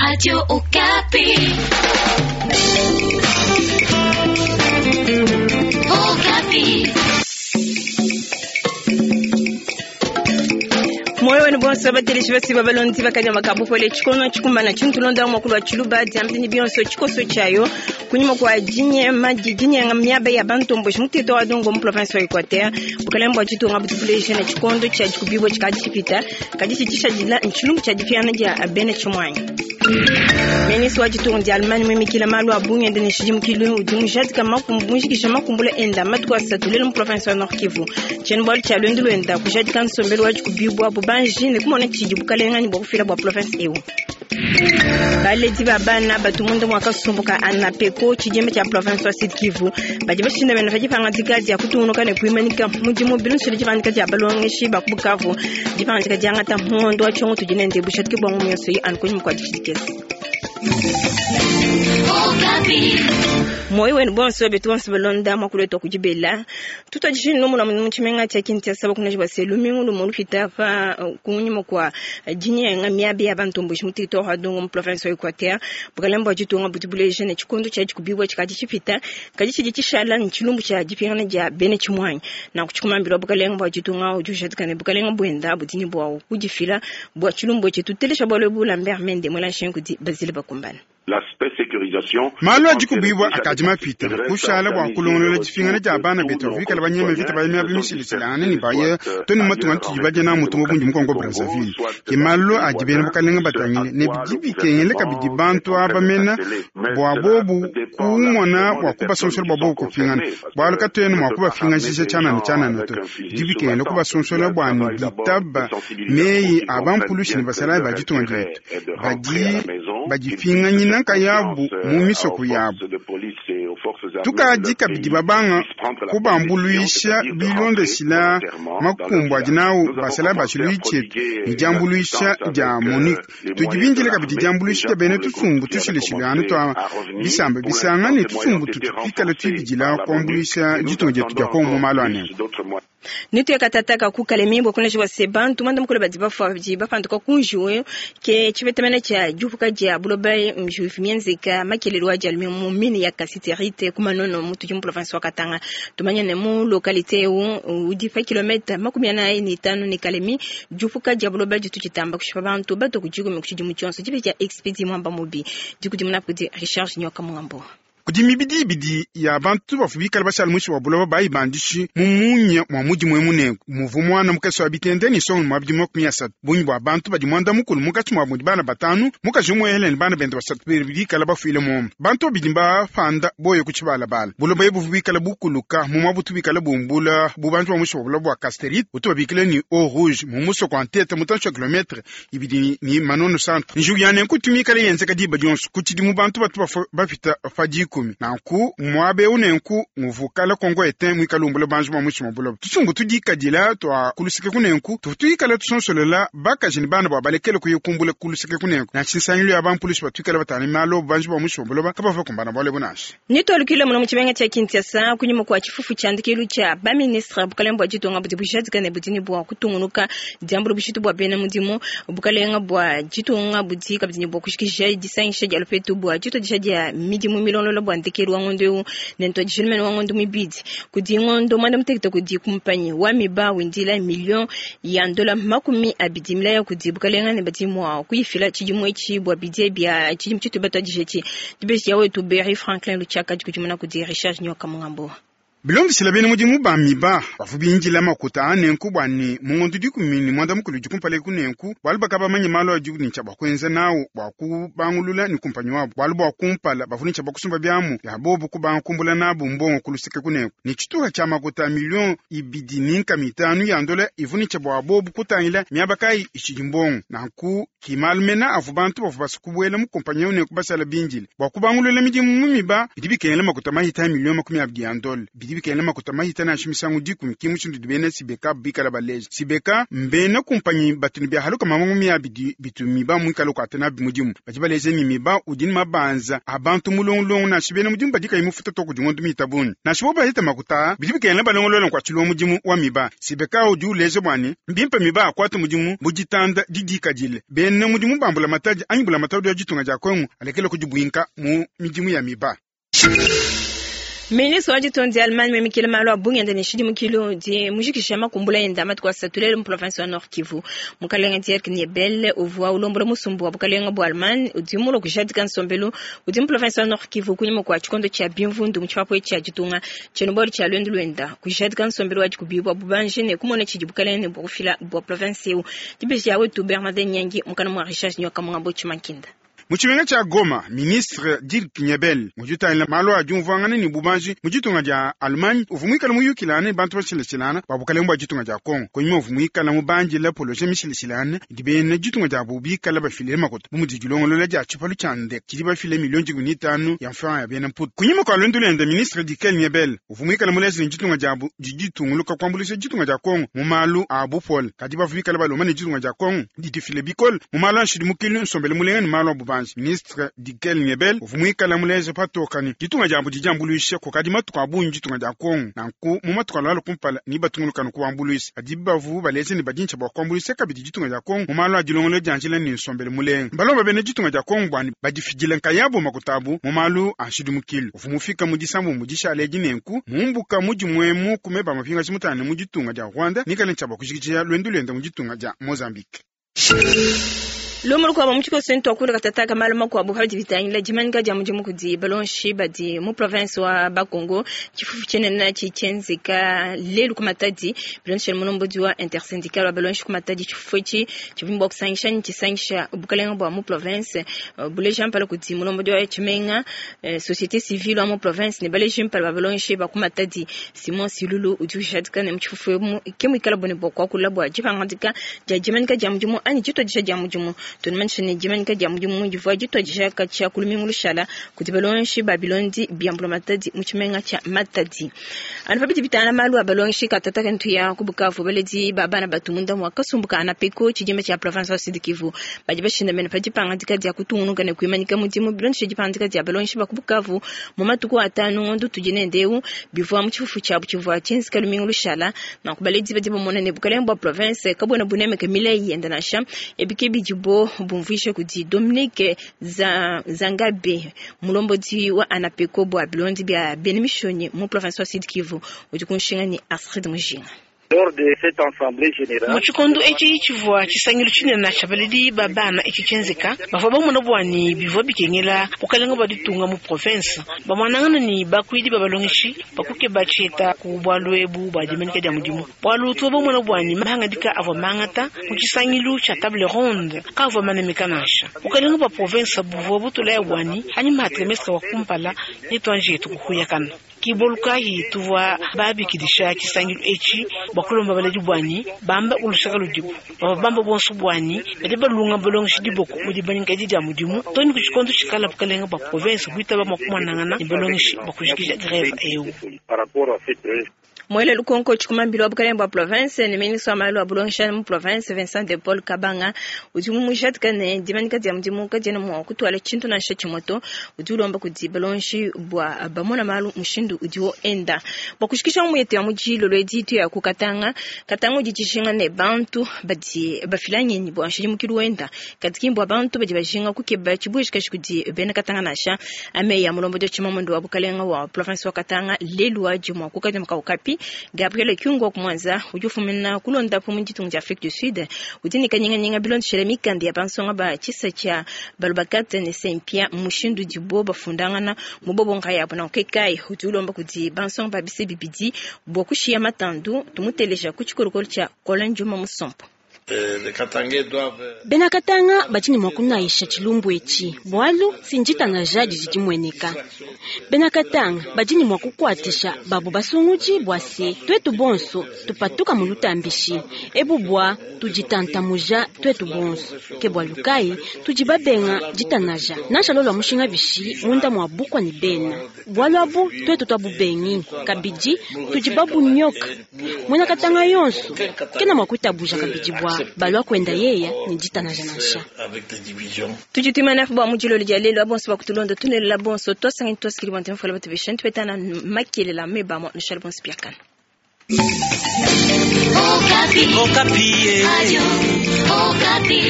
Radio Okapi. Okapi. Moyo wenu bonso bateleshi basi babalondi bakanyama ka bupole tshikono tshikumbana tshintulonda mwakulu wa tshiluba diambini bionso tshikoso tshiayo kunyima kwa dinyema dinyenga miaba ya bantomboshi mutito wa dongo mu province wa Equateur bukalenge bua tshitunga butubuleje ne tshikondo tshia dikubibua tshikadi tshipita kadi tshitshishadila ntshilumbu tshia dipiana dia bena tshimuanyi. Ministre wa ditunga dia Allemagne muimikila malu a bungi ende ne tshidimukilu udi mujadika mujikija makumbula enda matuku asatu lelu mu province wa Nord Kivu. Tshiena-bualu tshia luendu luenda kujadika nsombelu wa dikubibua bubanji ne kumona tshidi bukalenga ne bua kufila bua province eu. Baledi ba bana batu munda mua kasumbu ka ANAPECO tshidimba tshia province wa Sud Kivu badi bashindamena pa dipangadika dia kutungunuka ne kuimanyika mudimu bilondeshile dipangadika dia balongeshi ba ku Bukavu dipangadika diangata mu ngondo wa tshiongo tudi nende bujadiki bua ngumu yonso iyi anu kunyima kua dishidikesa. Moyo wenu bonso betu bonso balonda mwakulu wetu kujibela tutwadishini nomuna mu tshimenga tshia Kinshasa bakunaji base lumingu lumu lupita pa kunyima kwa dinyenga miaba ya bantomboshi mu territoire wa Dongo mu province wa Equateur bukalenge bua ditunga budi buleja ne tshikondo tshia dikubibua tshikadi tshipita kadi tshidi tshishala ne tshilumbu tshia dipingana dia bena tshimuanyi nanku tshikumambilwa bukalenge bua ditunga udi ujadika ne bukalenge buenda budi ne bua kudifila bua tshilumbu etshi tutelesha bualu ebu Lambert Mende muela nshingu kudi Basile Bakumbana. Malu adi kubibua akadi mapita kushala bua kulongolola dipingana dia bana betu bikala banyema vita banyema bimishilishilangane ne baye to ne matunga tudi badie na mutu mubundi mu Congo Brazzaville. Ke malu adi bena bukalenga batangile ne bidi bikengele kabidi bantu aba mena bua bobu kumona bua kubasonsola bua bobu kupingana, bualu katuena mua kubapingajisha tshianana tshianana to. Bidi bikengele kubasonsola bua ne bitaba meyi a bampulushi ne basalayi ba ditunga dietu badi badipinganyina nkayabu mu misoko yabu. Tukadi kabidi babanga kubambuluisha bilondeshila makumbu adi nawu basalayi ba tshiluilu tshietu ne diambuluisha dia MONUC. Tudi bindile kabidi diambuluisha dia bena tusumbu tushilashilangane tua bisamba bisanga ne tusumbu tutu tuikala tuibidila kuambuluisha ditunga dietu dia Kongo mu malu a nenku. Nituye katataka ku Kalemi bua kuleja se bantu mwanda mukulu badi bafua badi bapanduka ku njiwu ke tshipetamena tshia diupuka dia buloba njiwu mienzeka makelelo wa dia mu mine ya cassiterite ku Manono mu tudi mu province wa Katanga. Tumanye ne mu localité eu udi pa kilomètre 45 ne Kalemi diupuka dia buloba ditu tshitamba kushipa bantu bato ku dikumi ku tshidimu tshionso dipe dia Expedi Mwamba Mubi dikudimuna kudi Richard Nyoka Mungambo. Kudi mibidi ibidi ya bantu bavua bikale bashala muinshi wa buloba bayibandishi mu munya mua mudimu emu nenku muvua muana mukese wa bitende ne songo mua bidimu 30. Bungi bua bantu badi muanda mukulu munkatshi muabu mudi bana batanu, mukaji umue ne bana bende basatu bikale bafuile muomu. Bantu babidi mbapanda boye ku tshibalabala. Buloba ebu buvua bikale bukuluka mu muabutu bikale bumbula bubanji bua muinshi wa buloba bua cassiterite utu babikila ne eau rouge mu musoko wa Ntete mutantshi wa kilometre ibidi ne Manono centre. Njiwu ya nenku itu mikale yenzeka diba dionso ku tshidimu bantu batu bafua bapita pa dikumi. Nanku muaba eu nenku nguvua kala Congo etin muikale umbula banji bua muinshi mua buloba. Tusumbu tudikadila tua ku luseke kunenku tuvua tuikala tusonsolela bakaji ne bana bua balekele kuya kumbula ku luseke kunenku. Nansha nsangilu ya bampulushi batuikala batana malu banji bua muinshi mua buloba kabavua bakumbana bualu ebu nansha. Nitualukile muno mu tshimenga tshia Kinshasa kunyima kua tshifufu tshia ndekelu tshia baministre bukalenge bua ditunga budi bujadika ne budi ne bua kutungunuka diambula bushitu bua bena mudimu. Bukalenga bua ditunga budi kabidi ne bua kushikisha disangisha dia lupetu bua dituadija dia midimu milongolola bua ndekelu wa ngondo eu ne ntuadijilumene wa ngondo mibidi. Kudi ngondo mwanda mutekete kudi kumpanyi wa miba windila million ya ndola 20 milaya kudi bukalenga ne badi mua kuyifila tshidimu etshi bua bidie bia tshidimu tshitu batuadije etshi. Dibeji ya wetu Berry Franklin Luchaka dikudimuna kudi Richard Nyoka Mungambo. Bilondeshile bena mudimu ba miba bavua bindila makuta a nenku bua ne mu ngondo 19 dikumpala ku nenku bualu bakabamanye malu adi ne tshia bua kuenza nawu bua kubangulula ne kumpanyi wabu. Bualu bua kumpala bavua ne tshia bua kusumba biamu bia bobu kubanga kumbula nabu mbongo ku luseke ku nenku ne tshituha tshia makuta milioni 2.5 ya ndola ivua ne tshia bua bobu kutangila miaba kayi itshidi mbongo. Nanku ki malu mena avua bantu bavua basa kubuela mu kumpanyi eu nenku bashala bindile bua kubangulula midimu mu miba bidi bikengela makuta mahita milioni 20 ya ndola. Bidi bikengela makuta mahita nansha misangu 10 ki mushindu udi bena Sibeka bikala baleja. Sibeka mbena kumpanyi batu ne biahaluka mamangu miabidi bitu miba muikala kuata nabi mudimu. Badi baleja ne miba udi ne mabanza a bantu mulongolongo nansha bena mudimu badi kayi mufuta to kudi ngondo mitabungi. Nansha bo bahita makuta bidi bikengela balongolola nkuatshilu wa mudimu wa miba. Sibeka udi uleja bua ne bimpe miba akuata mudimu bu ditanda didikadile. Bena mudimu bambula matadi anyi bula matadi wa ditunga dia Kongo alekela kudibuinka mu midimu ya miba. Ministre wa ditunga dia Allemagne memikile malu a bungenda ne tshidimukilu di mujikisha makumbula enda matuku asatu lelu mu province wa Nord Kivu. Mukalenga Dirk Niebel uvua ulombola musumbu wa bukalenga bua Allemagne udi mulue kujadika nsombelu udi mu province wa Nord Kivu kunyima kua tshikondo tshia bimvundu mu tshipapu tshia ditunga tshiena-bualu tshia luendu luenda kujadika nsombelu wa dikubibua bubanji ne kumona tshidi bukalenga ne bua kufila bua province eu. Dibeji ya wetu Bernardin Nyangi mukana mua Richard Nyoka Mungambo Tshimankinda. Mu tshimenga tshia Goma, ministre Dirk Niebel udi utangila malu a diumvuangana ne bubanji mu ditunga dia Allemagne uvua muikale muyukilangana ne bantu bashilashilangana ba bukalenga bua ditunga dia Congo. Kunyima uvua muikale mubandila poloje mishilashilangane idi bena ditunga diabu bikale bafile makuta bu mudi dilongolola dia tshipalu tshia ndeke tshidi bafile milioni 15 ya mfranga ya bena mputu. Kunyima kua luendu luende, ministre Dirk Niebel uvua muikale muleje ne ditunga diabu didi ditunguluka kuambuluisha ditunga dia Congo mu malu a bupole, kadi bavua bikale balomba ne ditunga dia Congo didifile bikole mu malu a nshidimukilu, nsombelu mulenga ne malu a bubanji. Ministre Dirk Niebel uvua muikale muleje patoka ne ditunga diabu didi diambuluisha kukadi matuku a bungi ditunga dia Kongo, nanku mu matuku alualua kumpala ne batunguluka kuambuluisha. Kadi bavua baleje ne badintsha bua kuambuluisha kabidi ditunga dia Kongo mu malu a dilongolola dia njila ne nsombelu mulenga. Balomba bena ditunga dia Kongo bua ne badifidile nkayabu makuta abu mu malu a nshidimukilu. Uvua mufika mu disambu mu dishala edi nenku mumbuka mudimu emu ku meba mapingaji mutane mu ditunga dia Rwanda nikale ntshia bua kujikija luendu luenda mu ditunga dia Mozambique. Lumu lukuabo mu tshikoso ntwakula katataka malu makuabo padi bitangila dimanyika dia mudimu kudi balonshi badi mu province wa Bakongo. Tshifufu tshinene tshitshienzeka lelu ku Matadi bilonshela mulombodi wa intersyndical wa balonshi ku Matadi. Tshifufu etshi tshivua bua kusangisha ne tshisangisha bukalenga bua mu province buleja mpala kudi mulombodi wa tshimenga société civile wa mu province ne baleji mpala ba balonshi ba ku Matadi. Simon Silulu udi ujadika ne mu tshifufu emu ke muikala bone bua kuakula bua dipangadika dia dimanyika dia mudimu anyi dituadija dia mudimu. Tunamanyisha ne dimanyika dia mudimu divua dituadija katshia ku lumingu lushala kudi balongeshi ba bilondi bia mbula Matadi mu tshimenga tshia Matadi. Anu pabidi bitana malu a balongeshi katataka ntuya ku Bukavu baledi ba bana batu munda mua kasumbu ka ANAPECO tshidimba tshia province wa Sud Kivu badi bashindamene pa dipangadika dia kutungunuka ne kuimanyika mudimu bilondeshe dipangadika dia balongeshi ba ku Bukavu mu matuku atanu ngondo tudi nendeu bivua mu tshifufu tshiabu tshivua tshienzeka lumingu lushala. Nanku baledi badi bamona ne bukalenga bua province kabuena bunemeka milayi yenda nansha ebike bidibo bumvuisha kudi Dominique Zangabe mulombodi wa ANAPECO bua bilondi bia bena mishonyi mu province wa Sud Kivu udi kunshinga ni Astrid Mujinga. Mu tshikondo etshi tshivua tshisangilu tshinene tshia baledi ba bana etshi tshienzeka bavua bamona bua ne bivua bikengela bukalenga bua ditunga mu province bamwanangana ne bakuidi ba balongeshi bakukeba tshieta ku bualu ebu bua dimanyika dia mudimu bualu tuvua bamona bua ne mahangadika avua mangata mu tshisangilu tshia table ronde kavua manemeka nansha bukalenga bua province buvua butulaya bua ne anyima ha trimestre wa kumpala ne tuanji yetu kuhuyakana kibolukahi tuvua babikidisha tshisangilu etshi bua kulomba baledi bwanyi bamba ulushaka ludibu bava bamba bonso bwanyi badi balunga balongeshi diboko mu dimanyika edi dia mudimu toni ku tshikondo tshikala bukalenga bua province buitaba mua kumanangana ne balongeshi bua kujikija greve eu. Mwele lukonko tshikumambilo wa bukalenga bua province ne ministre wa malu a bulongesha mu province Vincent de Paul Kabanga udi mumujadika ne dimanyika dia mudimu kadiena mua kutuala tshintu nansha tshimoto udi ulomba kudi balongeshi bua bamona malu mushindu udiwo enda bua kushikisha muyete ya mujilo lwedi ya ku Katanga. Katanga udi tshishinga ne bantu badi bafila ngenyi bua nshidimukilu wenda kadi bua bantu badi bajinga kukeba tshibueshikashi kudi bena Katanga nansha ame ya mulombo tshimamondo wa bukalenga wa province wa Katanga lelu wa jumwa kukadi mukaukapi Gabriel Kyungu kumwanza udi ufumina kulonda mu ditunga dia Afrique du Sud udi ne kanyinganyinga bilondeshela mikanda ya bansonga ba tshisa tshia balubakate ne Saint-Pierre mushindu dibo bafundangana mu bobonga yabo na kekai udi ulomba kudi bansonga ba bise bibidi bua kushiya matandu tumuteleja ku tshikolokolo tshia Colin Juma Musompo. Bena Katanga badi ne mua kunaisha tshilumbu etshi bualu sinjita na jadi didi mueneka. Bena Katanga badi ne mua kukuatisha babu basungudi bua se tuetu bonso tupatuka mu lutambishi ebu bua tuditantamuja tuetu bonso. Ke bualu kayi tudi babenga ditanaja nansha lolwa mushinga bishi munda mua bukwa ne bena bualu abu tuetu tuabubengi kabidi tudi babunyoka muena Katanga yonso kena mua kuitabuja kabidi bua balua kuenda yeya ne ditanaja nansha. Tudi tuimana bua mu dilolo dia lelu bonso bakutulonda tunelela bonso twasangani twasikili bua ntemfola batu besha ntupetana makelela meba mo nushale bonso biakana. Okapi. Okapi. Radio Okapi.